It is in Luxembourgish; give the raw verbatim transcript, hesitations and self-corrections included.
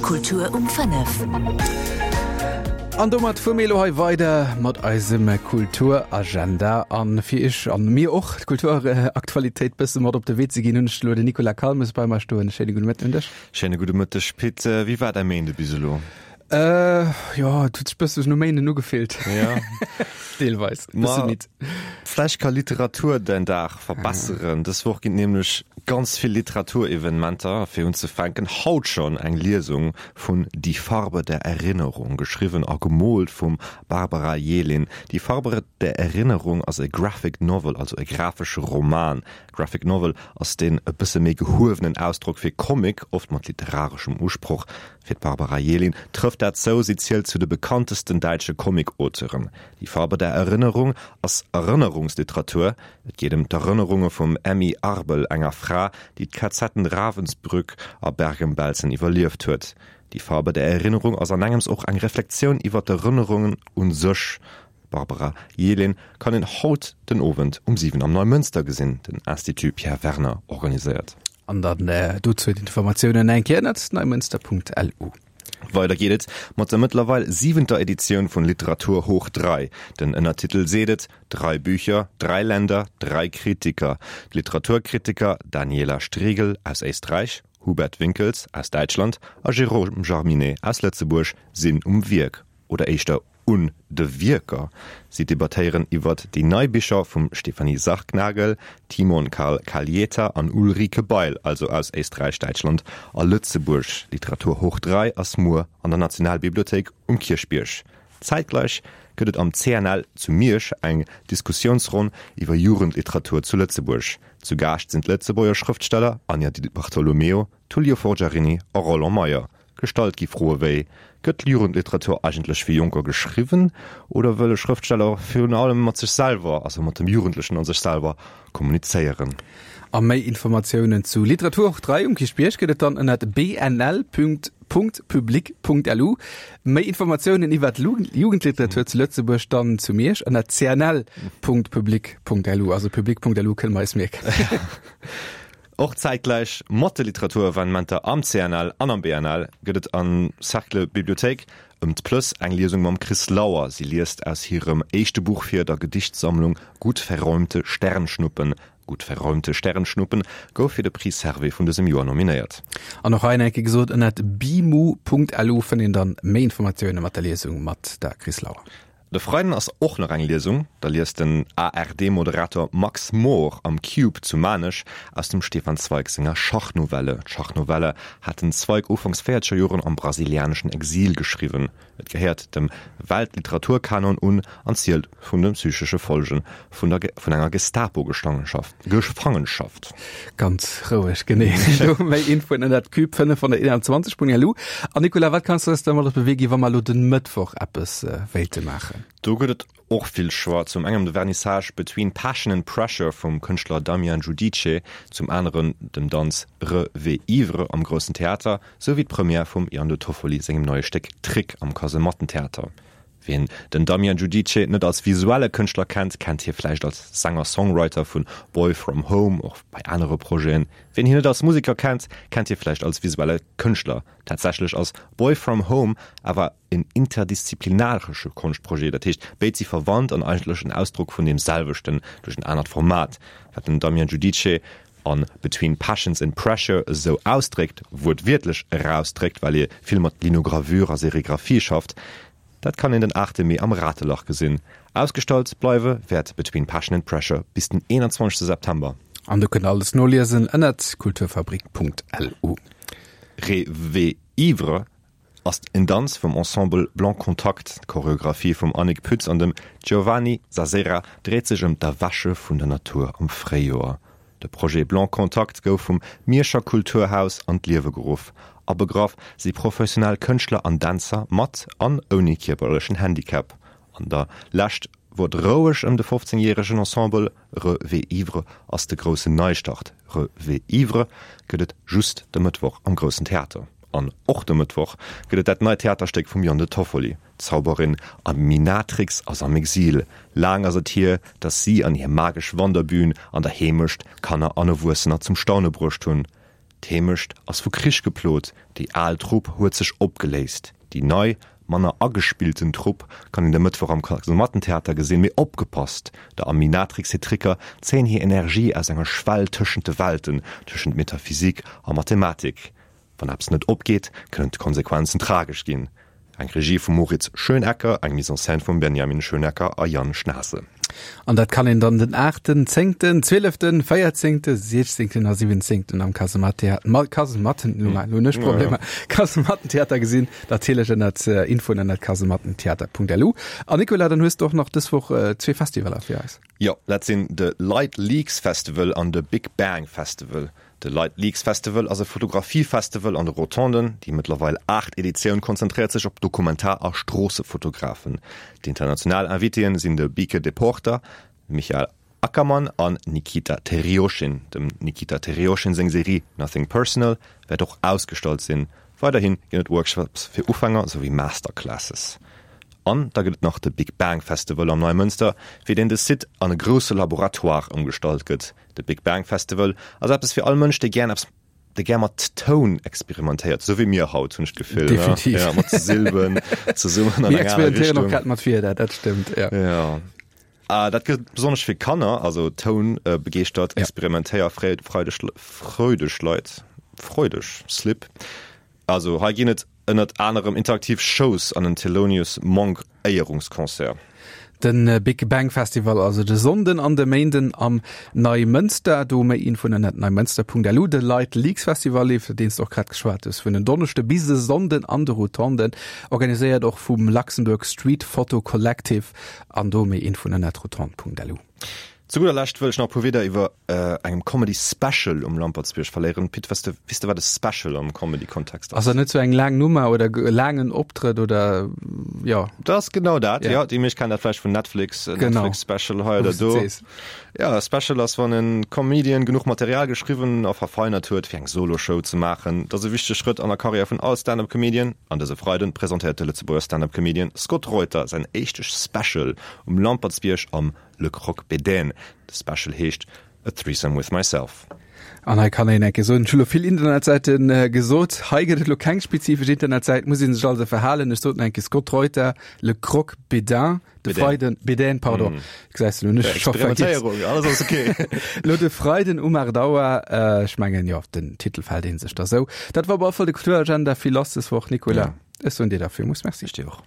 Kultur um fënnef. An domat fuere mir elo hei weider mat eisem Kulturagenda. An fir iech an mir och d'Kulturaktualitéit bësse mat op de Wee ze ginn, hunn ech elo den Nicolas Calmes bei mer stoen. Schéine gudde Mëtten un dech. Schéine gudde Mëtteg, Pit. Wéi war däi Méinde bis elo? Äh, jo, et huet sech bësse no Méinden ugefillt. Ja. Deelweis. Bësse midd. Vläicht ka Literatur däin Dag verbesseren. Dës Woch ginn nämlech ganz vill Literaturevenementer. Fir unzefänken, haut schonn eng Liesung vun Die Farbe der Erinnerung, geschriwwen a gemoolt vum Barbara Yelin. Die Farbe der Erinnerung ass e Graphic Novel, also e grafesche Roman. Graphic Novel ass deen e bësse méi gehuewenen Ausdrock fir Comic, oft mat literareschem Usproch. Fir d'Barbara Yelin trëfft dat zou, si zielt zu de bekanntesten däitsche Comic-Auteuren. Die Farbe der Erinnerung ass Erënnerungsliteratur. Et geet ëm d'Erënnerunge vum Emmy Arbel, enger Fra, déi d'KZen Ravensbrück a Bergen-Belsen iwwerlieft huet. Die Farbe der Erinnerung ass an engems och eng Reflexioun iwwer d'Erënnerungen u sech. D'Barbara Yelin kann een haut den Owend um siwen am Neumënster gesinn, den Institut Pierre Werner organiséiert. An dann dozou d'Informatiounen eng Kéier ënnert neumënster.lu. Weider geet et mat der mëttlerweil siwenter Editioun vun Literatur hoch drei. Den Ënnertitel seet et, Drei Bücher, drei Länder, drei Kritiker. D'Literaturkritiker Daniela Strigl aus Éisträich, Hubert Winkels aus Däitschland a Jérôme Jarminet aus Lëtzebuerg sinn um Wierk, oder éischter un de Wierker. Si debattéieren iwwert déi nei Bicher vum Stefanie Sargnagel, Timon Karl Kallieta an Ulrike Bail, also aus Éisträich, Däitschland a Lëtzebuerg. Literatur hoch drei ass muer an der Nationalbibliothéik um Kierchbierg. Zäitgläich gëtt et am C N L zu Miersch eng Diskussiounsronn iwwer Jugendliteratur zu Lëtzebuerg. Zu Gaascht sinn d'Lëtzebuerger Schrëftsteller Anja Di Bartolomeo, Tullio Forgiarini a Roland Meyer. Gestallt gi Froe wéi, Gëtt d'Jugendliteratur eigentlech fir Jonker geschriwwen oder wëll e Schrëftsteller virun allem mat sech selwer, also mat dem Jugendlechen a sech selwer, kommunizéieren? A méi Informatiounen zu Literatur hoch dräi um Kierchbierg gëtt et dann ënnert bnl Punkt public Punkt lu. Méi Informatiounen iwwer d'Jugendliteratur zu Lëtzebuerg dann zu Miersch ënnert cnl Punkt public Punkt lu. Also public Punkt lu kënne mer eis mierken. Och zäitgläich mat de Literaturevenementer am C N L an am B N L gëtt et am Cercle Bibliothéik ëm d'Plëss eng Liesung mam Chris Lauer. Si liest aus hirem éischte Buch vir, der Gedichtsammlung Gut verräumte Sternschnuppen. Gut verräumte Sternschnuppen gouf fir de Prix Servais vun dësem Joer nominéiert. An och hei eng Kéier gesot, ënnert bimu Punkt lu fënnt een dann méi Informatioune mat der Liesung mat der Chris Lauer. De Freiden ass och nach eng Liesung, da liest den A R D-Moderator Max Mohr am Cube zu Maarnech aus dem Stefan Zweig senger Schachnovelle. D'Schachnovelle hat den Zweig ufanks véierzeger Joren am brasilianeschen Exil geschriwwen. Et gehéiert dem Weltliteraturkanon un an zielt vun de psychesche Folgen vun der vun enger Gestapo-Gestangenschaft, Gefangenschaft. Ganz roueg, genee. Do méi Infoen ënnert Cube fënnefhonnerteenanzwanzeg Punkt L U. An Nicolas, wat kanns du eis da mat op de Wee ginn, wa mer elo den Mëttwoch eppes wéilte maachen? Do gëtt et och vill Choix. Zum engem de Vernissage Between Passion and Pressure vum Kënschtler Damian Giudice, zum aneren dem Danz Re-V Ivre am Groussen Theater, sou wéi d'Première vum Ian De Toffoli sengem neie Stéck Trick am Kasemattentheater. Wien den Damian Giudice net als visuelle Kënschtler kennt, kennt hie vläicht als Sänger-Songwriter vun Boy From Home, och bei anere Projeten. Wien hien net als Museker kennt, kennt hie vläicht als visuelle Kënschtler. Tatsächlech ass Boy From Home awer en interdisziplinaresche Konschtprojet, dat heescht, béid si verwandt an eigentlech en Ausdrock vun deem selwechten duerch en anert Format. Wat den Damian Giudice an Between Passions and Pressure esou ausdréckt, wuertwiertlech erausdréckt, well hie vill mat Linogravure a Serigraphie schafft, dat kann een den aachte Mee am Ratelach gesinn. Ausgestallt bleiwe wäert Between Passion and Pressure bis den eenanzwanzegste September. An do kënnt alles noliesen ënnert kulturfabrik Punkt L U. Rêve Ivre ass en Danz vum Ensemble Blanc Contact. D'Choreographie vum Annick Pütz an dem Giovanni Sasera dréit sech ëm d'Erwäche vun der Natur am Fréijoer. De Projet Blanc Contact gouf vum Mierscher Kulturhaus an d'Liewe geruff. Abegraff si professionell Kënschtler an Dänzer mat an ouni kierperlechen Handicap. An der Lescht wor et roueg ëm de fofzéngjäregen Ensemble. Re-V Ivre ass de groussen Neistart. Re-V Ivre gëtt et just de Mëttwoch am Groussen Theater. An och de Mëttwoch gëtt et dat neit Theaterstéck vum Jon de Toffoli. D'Zauberin Aminatrix ass am Exil. Laang ass et hier, datt si an hir magesch Wanderbühn an der Heemecht Kanner an Erwuessener zum Staune bruecht hunn. D'Heemecht ass vu Krich geplot, déi al Trupp huet sech opgeléist. Déi nei, manner agespillten Trupp kann een de Mëttwoch am Kasemattentheater gesinn. Mee opgepasst, Der Aminatrix hir Tricker zéien hir Energie aus enger Schwell tëschent de Welten, tëschent Metaphysik a Mathematik. Wann eppes net opgeet, kënnen d'Konsequenzen tragesch ginn. Eng Regie vum Moritz Schönecker, eng Mise en scène vum Benjamin Schönecker a Yann Schnaase. An dat kann een dann den aachten, zéngten, zwieleften, véierzéngte, siechzéngten a siwwenzéngten am Kasemattheater, Kasematten, lo hunn ech Problemer, Kasemattentheater gesinn. Natierlech ënnert Infoen ënnert kasemattentheater.lu. An Nicolas, dann hues de och nach dës Woch zwee Festivaler fir eis. Jo, dat sinn de Light Leaks Festival an de Big Bang Festival. De Light Leaks Festival ass e Fotografiefestival an de Rotonden. Déi mëttlerweil aacht Editioun konzentréiert sech op Dokumentar a Stroossefotografen. D'international Invitéen sinn de Bieke Depoorter, Michael Ackermann an Nikita Terjochin. Dem Nikita Terjochin seng Serie Nothing Personal wäert och ausgestallt sinn. Weiderhi ginn et Workshops fir Ufänger souwéi Masterclasses. An da gëtt et nach de Big Bang Festival am Neimënster, fir deen de Site an e grousse Laboratoire ëmgestallt gëtt. De Big Bang Festival ass eppes fir all Mënsch, dee gär eppes, dee gär mat Toun experimentéiert, esou wéi mir haut, hunn ech d'Gefill, ne? Definitiv. Ja, mat Silben zesummen an Mir eng aner experimentéieren och Richtung. grad mat Wierder, dat stëmmt, ja. Ja. Ah, dat gëllt besonnesch fir Kanner, also tounbegeeschtert, Ja. experimentéierfreideg, freudeg Leit, freudeg, slip. Also hei ginn et ënnert anerem interaktiv Shows an en Thelonious Monk Éierungsconcert. De Big Bang Festival also de Sonnden an de Méinden am Neimënster. Do méi Infoen ënnert neimënster.lu. De Light Leaks Festival, iwwer deen s de och grad geschwat hues, vun en Donneschde bis e Sonnden an de Rotonden, organiséiert och vum Luxembourg Street Photo Collective. An do méi Infoen ënnert rotonde.lu. Zu gudder Lescht wëll ech nach e puer Wieder iwwer engem Comedy Special um Lampertsbierg verléieren. Pit, weess de, weess de wat e Special am Comedy Kontext ass? Ass dat net sou eng laang Nummer oder e laangen Optrëtt oder jo? Dat ass genau dat, jo. Déi meescht kennen dat vläicht vun Netflix, Genau. Netflix Special hei oder Wou s de do. sees. Jo, e Special ass wann en Comedian genuch Material geschriwwen a verfeinert huet fir eng Solo Show ze maachen. Dat ass e wichtege Schrëtt an der Karriär vun all Stand-up Comedian. An dëse Freiden presentéiert de Lëtzebuerger Stand-up Comedian Scott Reuter säin éischte Special um Lampertsbierg am Le Croque Bédaine. De Special heescht A Threesome With Myself. An hei kann een enke soen, ech hu lo vill Internetsäite gesot, hei gëtt et lo keng spezifesch Internetsäit, muss ee sech also verhalen. Ech sot enke Scott Reuter, Le Croque Bédain, de Freiden, Bédaine, pardon, gesäis de, hunn ech scho vergiess. Experimentéierung, alles ass ok. Lo de Freiden um aacht Auer, ech mengen, jo, den Titel fält ee sech da sou. Dat war op alle Fall de Kulturagenda. Vill lass des Woch, Nicolas. Ech soen dir da villmools Merci. Ech dir och.